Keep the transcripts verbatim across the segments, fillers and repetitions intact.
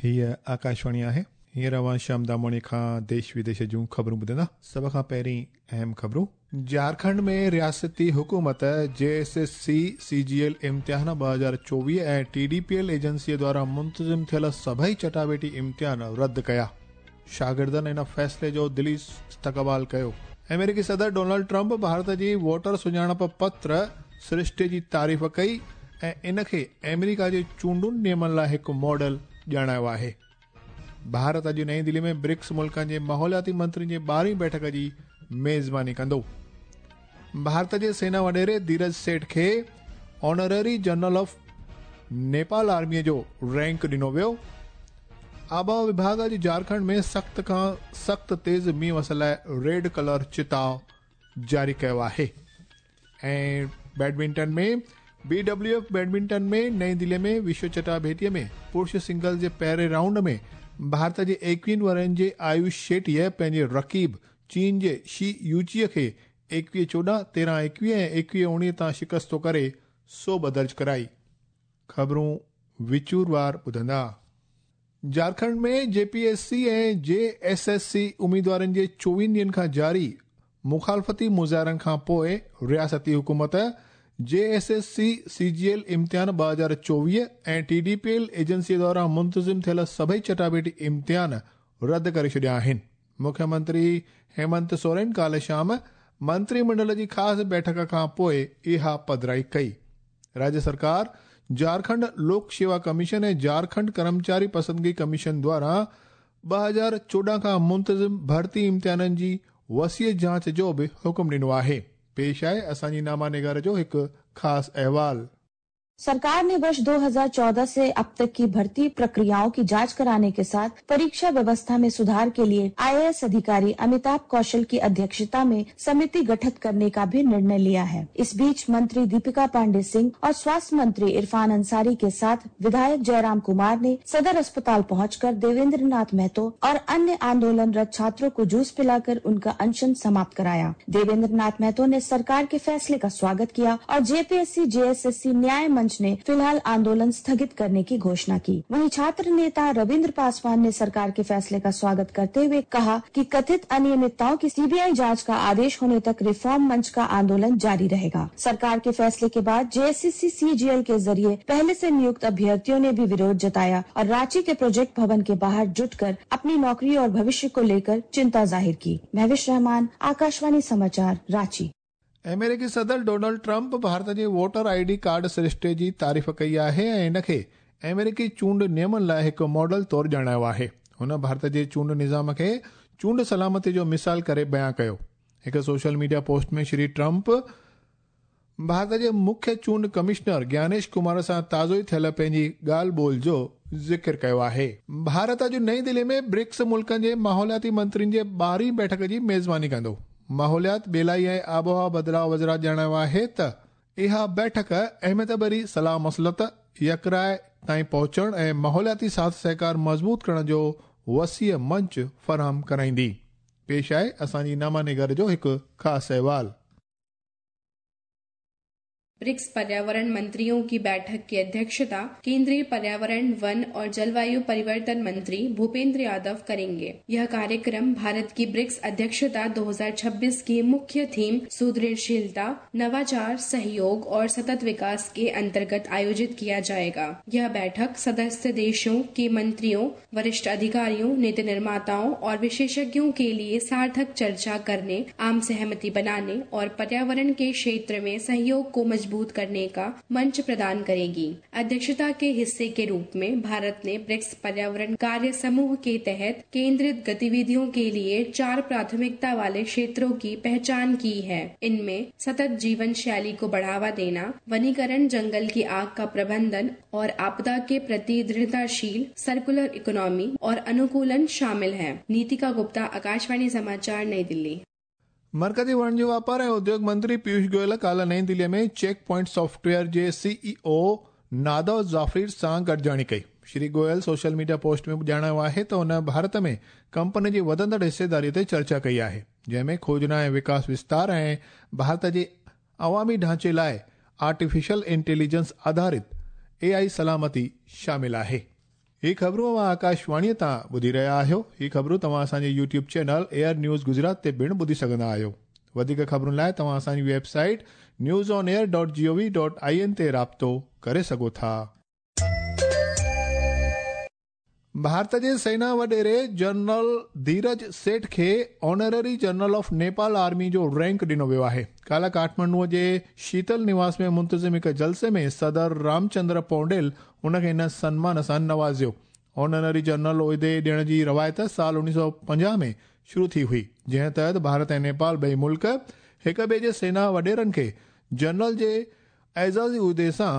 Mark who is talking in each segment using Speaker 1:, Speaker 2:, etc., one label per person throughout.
Speaker 1: हीअ आकाशवाणी आहे। हींअर अव्हां श्याम दामोणी खां देश विदेश जूं ख़बरूं ॿुधंदा। सभ खां पहिरीं अहम ख़बरूं। झारखंड में रियासती हुकूमत J S S C C G L इम्तिहान ॿ हज़ार चोवीह ऐं टी डी पी एल एजेंसीअ द्वारा मुंतज़िम थियल सभई चटावेटी इम्तिहान रद्द कया। शागिर्दनि इन फ़ैसिले जो दिली इस्तक़बाल कयो। अमेरिकी सदर डोनाल्ड ट्रंप भारत जी वोटर सुञाणप पत्र सृष्टि जी तारीफ़ कई ऐं इन खे अमेरिका जे चूंडुनि नियमनि लाइ हिकु मॉडल ॼाणायो आहे। भारत अॼु नई दिल्ली में ब्रिक्स मुल्कनि जे माहौलियाती मंत्रियुनि जे ॿारहीं बैठक जी मेज़बानी कंदो। भारत जे सेना वॾेरे धीरज सेठ खे ऑनररी जनरल ऑफ नेपाल आर्मीअ जो रैंक ॾिनो वियो। आबहावा विभाग अॼु झारखंड में सख़्त खां सख़्त तेज़ मींहुं वसण लाइ रेड कलर चिताव जारी कयो आहे। ऐं badminton में बी डब्ल्यू एफ बैडमिंटन में नई दिल्ली में विश्व चटाभेटीअ में पुरुष सिंगल्स जे पहिरें राउंड में भारत जे एकवीहनि वरनि जे आयुष शेट्टीअ पंहिंजे रक़ीब चीन जे she यूचीअ खे एकवीह चोॾहं, तेरहं एकवीह ऐं एकवीह उणिवीह तां शिकस्तो करे सोभ दर्ज कराई। ख़बरूं विचूरवार ॿुधंदा। झारखंड में जे पी एस सी ऐं जे एस एस सी उम्मीदवारनि जे चोवीहनि ॾींहनि खां जारी मुखालफ़ती मुज़ाहिरनि खां पोइ रियासती हुकूमत J S S C C G L इम्तिहान ॿ हज़ार चोवीह ऐं टी डी पी एल एजेंसीअ द्वारा मुंतज़िम थियल सभई चटाभेटी इम्तिहान रद्द करे छॾिया आहिनि। मुख्यमंत्री हेमंत सोरेन काल्ह शाम मंत्रिमंडल जी ख़ासि बैठक खां पोइ इहा पधराई कई। राज्य सरकार झारखंड लोक सेवा कमीशन ऐं झारखंड कर्मचारी पसंदगी कमीशन द्वारा ॿ हज़ार चोॾहं खां मुंतज़िम भर्ती इम्तिहाननि जी वसीअ जांच जो बि हुकुम ॾिनो आहे। पेश आहे असांजी नामा निगार जो हिकु ख़ासि अहवाल।
Speaker 2: सरकार ने वर्ष दो हज़ार चौदह से अब तक की भर्ती प्रक्रियाओं की जांच कराने के साथ परीक्षा व्यवस्था में सुधार के लिए आई ए एस अधिकारी अमिताभ कौशल की अध्यक्षता में समिति गठित करने का भी निर्णय लिया है। इस बीच मंत्री दीपिका पांडे सिंह और स्वास्थ्य मंत्री इरफान अंसारी के साथ विधायक जयराम कुमार ने सदर अस्पताल पहुंचकर देवेंद्र नाथ महतो और अन्य आंदोलनरत छात्रों को जूस पिलाकर उनका अनशन समाप्त कराया। देवेंद्र नाथ महतो ने सरकार के फैसले का स्वागत किया और J P S C J S S C न्याय मंच ने फिलहाल आंदोलन स्थगित करने की घोषणा की। वहीं छात्र नेता रविंद्र पासवान ने सरकार के फैसले का स्वागत करते हुए कहा कि कथित अनियमितताओं की सी बी I जांच का आदेश होने तक रिफॉर्म मंच का आंदोलन जारी रहेगा। सरकार के फैसले के बाद J S S C C G L के जरिए पहले से नियुक्त अभ्यर्थियों ने भी विरोध जताया और रांची के प्रोजेक्ट भवन के बाहर जुटकर अपनी नौकरी और भविष्य को लेकर चिंता जाहिर की। महविश रहमान, आकाशवाणी समाचार, रांची।
Speaker 1: अमेरिकी सदर Donald Trump Bharat J voter I D card Srishti ji तारीफ़ कई आहे ऐं इन खे अमेरिकी चूंड नियमनि लाइ हिकु मॉडल तौर ॼाणायो आहे। हुन भारत जे चूंड निज़ाम खे चूंड सलामती जो मिसाल करे बयान कयो। हिकु social media post में श्री ट्रंप भारत जे मुख्य चूंड कमिश्नर ज्ञानेश कुमार सां ताज़ो ई थियल पंहिंजी ॻाल्हि ॿोल जो ज़िक्र कयो आहे। भारत अॼु नई दिल्ली में ब्रिक्स मुल्कनि जे माहौलियाती मंत्रियुनि जे ॿारहीं बैठक जी मेज़बानी कंदो। माहौलियात, ॿेलाई ऐं आबहावा बदिलाव वज़ारत ॼाणायो आहे त इहा बैठक अहमियत भरी सलाह मसलत, यकराय ताईं पहुचण ऐं माहौलियाती साथ सहकार मज़बूत करण जो वसीअ मंच फराहम कराईंदी। पेश आहे असांजी नामा निगार जो हिकु ख़ासि अहवाल।
Speaker 3: ब्रिक्स पर्यावरण मंत्रियों की बैठक की अध्यक्षता केंद्रीय पर्यावरण, वन और जलवायु परिवर्तन मंत्री भूपेंद्र यादव करेंगे। यह कार्यक्रम भारत की ब्रिक्स अध्यक्षता दो हज़ार छब्बीस की मुख्य थीम सुदृढ़शीलता, नवाचार, सहयोग और सतत विकास के अंतर्गत आयोजित किया जाएगा। यह बैठक सदस्य देशों के मंत्रियों, वरिष्ठ अधिकारियों, नीति निर्माताओं और विशेषज्ञों के लिए सार्थक चर्चा करने, आम सहमति बनाने और पर्यावरण के क्षेत्र में सहयोग को मजबूत करने का मंच प्रदान करेगी। अध्यक्षता के हिस्से के रूप में भारत ने ब्रिक्स पर्यावरण कार्य समूह के तहत केंद्रित गतिविधियों के लिए चार प्राथमिकता वाले क्षेत्रों की पहचान की है। इनमें सतत जीवन शैली को बढ़ावा देना, वनीकरण, जंगल की आग का प्रबंधन और आपदा के प्रति दृढ़ताशील सर्कुलर इकोनॉमी और अनुकूलन शामिल है। नीतिका गुप्ता, आकाशवाणी समाचार, नई दिल्ली।
Speaker 1: मरकज़ी वणिज वापार ऐं उद्योग मंत्री पीयूष गोयल काल्ह नई दिल्लीअ में चेक पॉइंट सॉफ्टवेयर जे सीईओ नादव ज़ाफ़िर सां गॾिजाणी कई। Shri Goyal social media post में ॼाणायो आहे त हुन भारत में कंपनी जी वधंदड़ हिस्सेदारीअ ते चर्चा कई आहे, जंहिंमें खोजना ऐं विकास विस्तार ऐं भारत जे अवामी ढांचे लाइ आर्टिफिशियल इंटेलिजेंस आधारित ए आई सलामती शामिल आहे। ही ख़बरूं अव्हां आकाशवाणीअ तां ॿुधी रहिया आहियो। ही ख़बरूं तव्हां असांजे YouTube channel air news Gujarat ते पिणु ॿुधी सघंदा आहियो। वधीक ख़बरुनि लाइ तव्हां असांजी website news on air dot G O V dot I N ते राब्तो करे सघो था। भारत जे सेना वॾेरे जनरल धीरज सेठ खे honorary general of Nepal army जो रैंक ॾिनो वियो आहे। काल्ह काठमांडूअ जे शीतल निवास में मुंतज़िम हिकु जलसे में सदर रामचंद्र पौडेल उनखे हिन सनमान सां नवाज़ियो। ऑनररी जनरल उहिदे ॾियण जी रवायत साल उणिवीह सौ पंजाह में शुरू थी हुई, जंहिं तहत भारत ऐं नेपाल ॿई मुल्क हिक ॿिए जे सेना वॾेरनि खे जनरल जे एज़ाज़ी उहिदे सां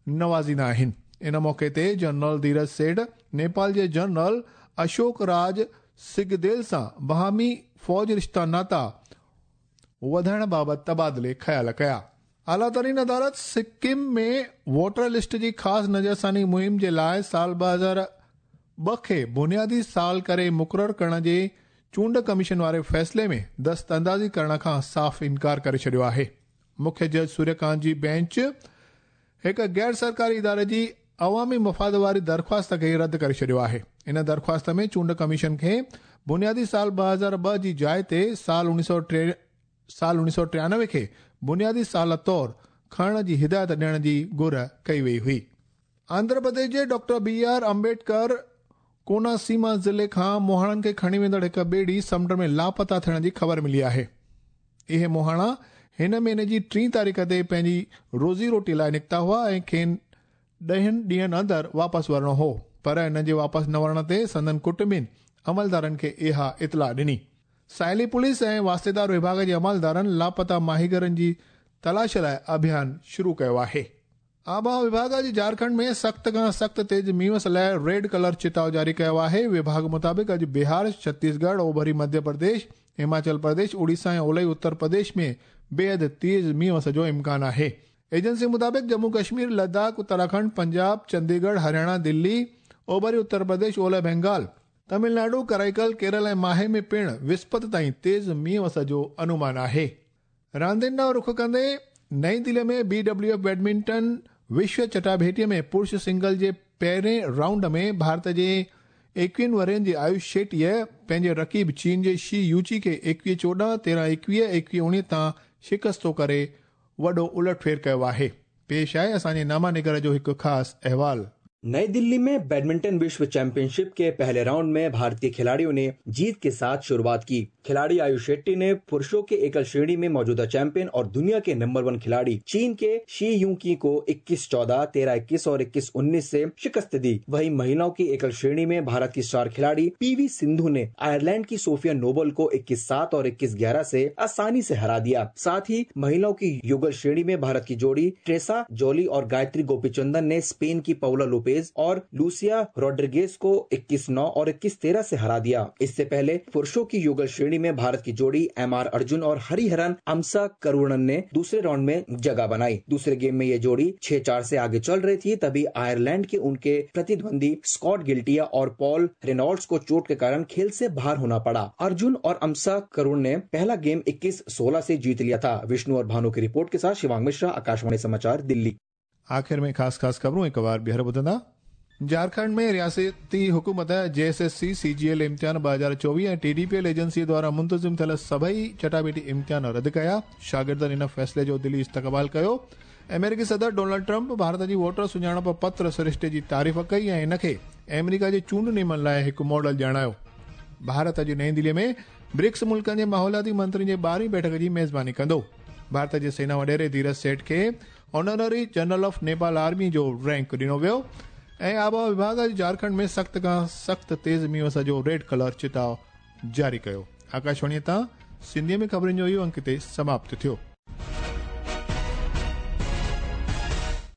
Speaker 1: नवाज़ींदा आहिनि। इन मौक़े ते जनरल धीरज सेठ नेपाल जे जनरल अशोक राज सिगदेल सां बाहमी फ़ौज रिश्ता नाता वधाइण बाबति तबादिले ख़्याल कया। आला तरीन अदालत सिक्किम में वोटर लिस्ट जी ख़ासि नज़रसानी मुहिम जे लाइ साल ॿ हज़ार ॿ खे बुनियादी साल करे मुक़ररु करण जे चूंड कमीशन वारे फ़ैसिले में दस्त अंदाज़ी करण खां साफ़ इनकार करे छॾियो आहे। मुख्य जज सूर्यकांत जी बेंच हिकु गैर सरकारी इदारे जी अवामी मफ़ाद वारी दरख़्वास्त खे रद्द करे छॾियो आहे। इन दरख़्वास्त में चूंड कमीशन खे बुनियादी साल ॿ हज़ार ॿ जी जाइ ते साल उणिवीह सौ टे साल उणिवीह सौ टियानवे खे बुनियादी साल तौर खणण जी हिदायत ॾियण जी घुर कई वई हुई। आंध्र प्रदेश जे doctor B R Ambedkar Konaseema ज़िले खां मुहाणनि खे खणी वेंदड़ हिकु ॿेड़ी समुंड में लापता थियण जी ख़बर मिली आहे। इहे मुहाणा हिन महीने जी टीं तारीख़ ते पंहिंजी रोज़ी रोटी लाइ निकिता हुआ ऐं खेनि ॾहनि ॾींहंनि अंदरि वापसि वरणो हो, पर हिननि जे वापसि न वरण ते संदन कुटुंबिनि अमलदारनि खे इहा इतला ॾिनी। साहिली पुलिस ऐं वास्तेदार विभाग जे अमलदारनि लापता माहीगरनि जी तलाश लाइ अभियान शुरू कयो आहे। आबहावा विभाग अॼु झारखंड में सख़्त खां सख़्त तेज़ मींहं लाइ रेड कलर चिताव जारी कयो आहे। विभाग मुताबिक़ अॼु बिहार, छत्तीसगढ़, ओभरी मध्य प्रदेश, हिमाचल प्रदेश, उड़ीसा ऐं ओलई उत्तर प्रदेश में बेहद तेज़ मींहं जो इम्कान आहे। एजेंसी मुताबिक़ जम्मू कश्मीर, लद्दाख, उत्तराखंड, पंजाब, चंडीगढ़, हरियाणा, दिल्ली, ओभरी उत्तर प्रदेश, ओलह बंगाल, तमिलनाडु, कराईकल, केरल ऐं माहे में पिणु विस्पत ताईं तेज़ मींहं जो अनुमान आहे। रांदियुनि ॾांहुं रुख कंदे नई दिल्ली में बी डब्ल्यू एफ बैडमिंटन विश्व चटाभेटीअ में पुरुष सिंगल जे पहिरें राउंड में भारत जे एकवीहनि वरनि जे आयुष शेट्टीअ पंहिंजे रक़ीब चीन जे she यूची खे एकवीह चोॾहं, तेरहं एकवीह, एकवीह उणिवीह तां शिकस्तो करे वॾो उलटफेर कयो आहे। पेश आहे असांजे नामा निगर जो हिकु ख़ासि अहवाल।
Speaker 4: नई दिल्ली में बैडमिंटन विश्व चैंपियनशिप के पहले राउंड में भारतीय खिलाड़ियों ने जीत के साथ शुरुआत की। खिलाड़ी आयुष शेट्टी ने पुरुषों के एकल श्रेणी में मौजूदा चैंपियन और दुनिया के नंबर वन खिलाड़ी चीन के she यूकी को इक्कीस चौदह, तेरह इक्कीस और इक्कीस उन्नीस से शिकस्त दी। वहीं महिलाओं की एकल श्रेणी में भारत की स्टार खिलाड़ी पीवी सिंधु ने आयरलैंड की सोफिया नोबल को इक्कीस सात और इक्कीस ग्यारह से आसानी से हरा दिया। साथ ही महिलाओं की युगल श्रेणी में भारत की जोड़ी ट्रेसा जोली और गायत्री गोपीचंदन ने स्पेन की पाउला लोपेज और लूसिया रोड्रिगेज को इक्कीस नौ और इक्कीस तेरह से हरा दिया। इससे पहले पुरुषों की युगल श्रेणी में भारत की जोड़ी एम आर अर्जुन और हरिहरन अमसा करुणन ने दूसरे राउंड में जगह बनाई। दूसरे गेम में ये जोड़ी छह चार से आगे चल रही थी, तभी आयरलैंड के उनके प्रतिद्वंदी स्कॉट गिल्टिया और पॉल रेनॉल्ड्स को चोट के कारण खेल से बाहर होना पड़ा। अर्जुन और अमसा करुण ने पहला गेम इक्कीस सोलह से जीत लिया था। विष्णु और भानु की रिपोर्ट के साथ शिवांग मिश्रा, आकाशवाणी समाचार, दिल्ली।
Speaker 1: आख़िर में ख़ासि ख़ासि ख़बरूं हिकु बार ॿीहर ॿुधंदा। झारखंड में रियासती हुकूमत J S S C C G L इम्तिहान ॿ हज़ार चोवीह ऐं T D P L agency द्वारा मुंतज़िम थियल सभई चटाबेटी इम्तिहान रद्द कया। शागिर्दनि इन फ़ैसिले जो दिली इस्तक़बाल कयो। अमेरिकी सदर डोनाल्ड ट्रंप भारत जी वोटर सुञाणप पत्र सरिश्ते जी तारीफ़ कई ऐं हिन खे अमेरिका जे चूंड नियमनि लाइ हिकु मॉडल ॼाणायो। भारत अॼु नई दिल्लीअ में ब्रिक्स मुल्कनि जे माहौलियाती मंत्रियुनि जे ॿारहीं बैठक जी मेज़बानी कंदो। भारत जे सेना वॾेरे धीरज सेठ खे honorary general of Nepal army जो रैंक ॾिनो वियो। ऐं आबहावा विभाग अॼु झारखंड में सख़्त खां सख़्त तेज़ मींहं जो रेड कलर चिताव जारी कयो। आकाशवाणीअ तां सिंधीअ में ख़बरुनि जो इहो अंक हिते समाप्त थियो।